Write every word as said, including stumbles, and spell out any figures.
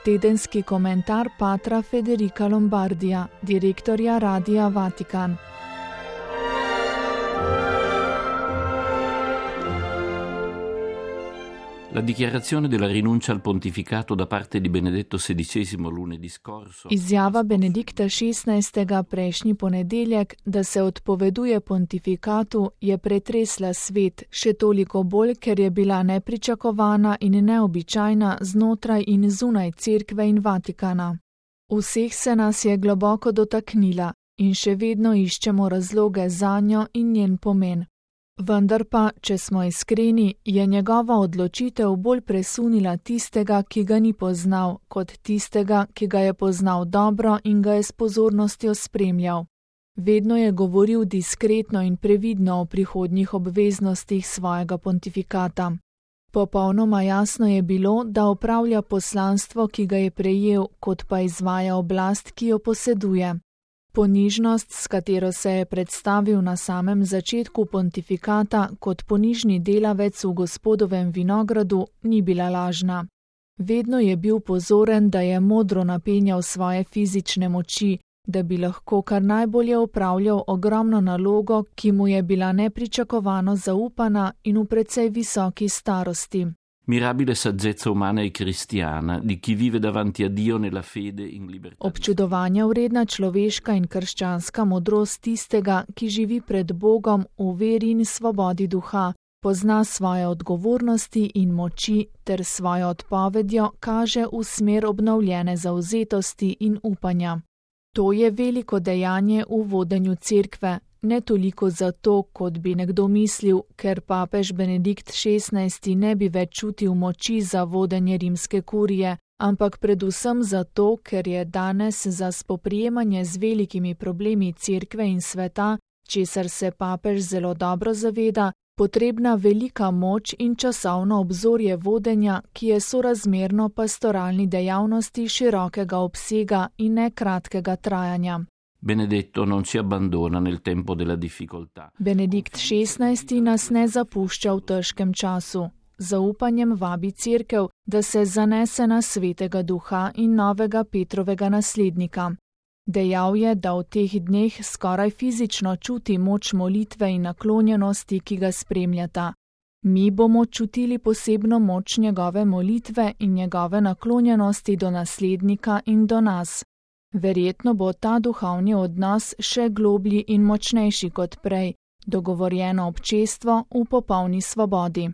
Tedenski komentar patra Federica Lombardija, direktorja Radia Vatikan. La dichiarazione della rinuncia al pontificato da parte di Benedetto sedicesimo lunedì scorso. Izjava Benedikta šestnajstega prejšnji ponedeljek, da se odpoveduje pontifikatu, je pretresla svet, še toliko bolj, ker je bila nepričakovana in neobičajna znotraj in zunaj Cerkve in Vatikana. Vseh se nas je globoko dotaknila in še vedno iščemo razloge zanjo in njen pomen. Vendar pa, če smo iskreni, je njegova odločitev bolj presunila tistega, ki ga ni poznal, kot tistega, ki ga je poznal dobro in ga je s pozornostjo spremljal. Vedno je govoril diskretno in previdno o prihodnjih obveznostih svojega pontifikata. Popolnoma jasno je bilo, da opravlja poslanstvo, ki ga je prejel, kot pa izvaja oblast, ki jo poseduje. Ponižnost, s katero se je predstavil na samem začetku pontifikata kot ponižni delavec v Gospodovem vinogradu, ni bila lažna. Vedno je bil pozoren, da je modro napenjal svoje fizične moči, da bi lahko kar najbolje opravljal ogromno nalogo, ki mu je bila nepričakovano zaupana in v precej visoki starosti. Mirabile saggezza umana e cristiana di chi vive davanti a Dio nella fede in libertà. Občudovanja vredna človeška in krščanska modrost tistega, ki živi pred Bogom v veri in svobodi duha, pozna svoje odgovornosti in moči ter svojo odpovedjo kaže v smer obnovljene zavzetosti in upanja. To je veliko dejanje v vodenju Cerkve. Ne toliko zato, kot bi nekdo mislil, ker papež Benedikt šestnajsti ne bi več čutil moči za vodenje rimske kurije, ampak predvsem zato, ker je danes za spoprijemanje z velikimi problemi Cerkve in sveta, česar se papež zelo dobro zaveda, potrebna velika moč in časovno obzorje vodenja, ki je sorazmerno pastoralni dejavnosti širokega obsega in ne kratkega trajanja. Benedetto non ci abbandona nel tempo della difficoltà. Benedikt šestnajsti nas ne zapušča v težkem času. Zaupanjem vabi Cerkev, da se zanese na svetega duha in novega Petrovega naslednika. Dejal je, da v teh dneh skoraj fizično čuti moč molitve in naklonjenosti, ki ga spremljata. Mi bomo čutili posebno moč njegove molitve in njegove naklonjenosti do naslednika in do nas. Verjetno bo ta duhovni odnos še globlji in močnejši kot prej, dogovorjeno občestvo v popolni svobodi.